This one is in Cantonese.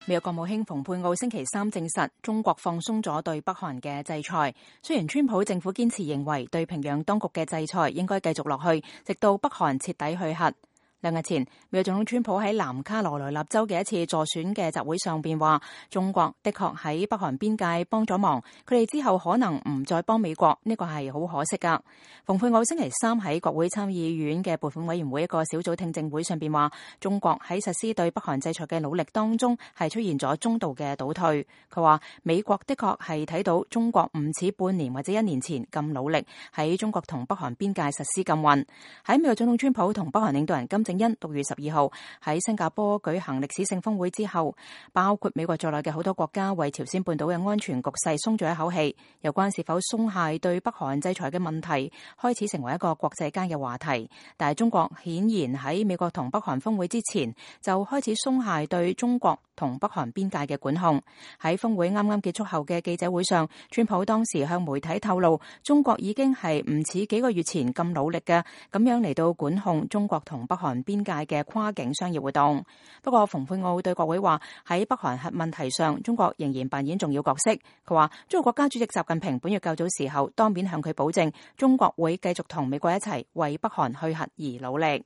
美國國務卿蓬佩奧星期三證實，中國放鬆咗對北韓嘅制裁。雖然川普政府堅持認為對平壤當局嘅制裁應該繼續落去，直到北韓徹底去核。2日前，美國總統川普喺南卡羅來納州嘅一次助選嘅集會上邊話，中國的確喺北韓邊界幫咗忙，佢哋之後可能唔再幫美國，呢個係好可惜噶。蓬佩奧星期三喺國會參議院嘅撥款委員會一個小組聽證會上邊話，中國喺實施對北韓制裁嘅努力當中係出現咗中度嘅倒退。佢話美國的確係睇到中國唔似半年或者1年前咁努力喺中國同北韓邊界實施禁運。喺美國總統川普同北韓領導人金正恩6月12號喺新加坡舉行歷史性峰會之後，包括美國在內嘅好多國家為朝鮮半島嘅安全局勢鬆咗一口氣。有關是否鬆懈對北韓制裁嘅問題開始成為一個國際間嘅話題，但係中國顯然喺美國同北韓峰會之前就開始鬆懈對中國同北韓邊界嘅管控。喺峰會啱啱結束後嘅記者會上，川普當時向媒體透露，中國已經係唔似幾個月前咁努力嘅咁樣嚟到管控中國同北韓邊界嘅跨境商業活動。不過蓬佩奧對國會話，喺北韓核問題上，中國仍然扮演重要角色。佢話中國國家主席習近平本月較早時候當面向佢保證，中國會繼續同美國一齊為北韓去核而努力。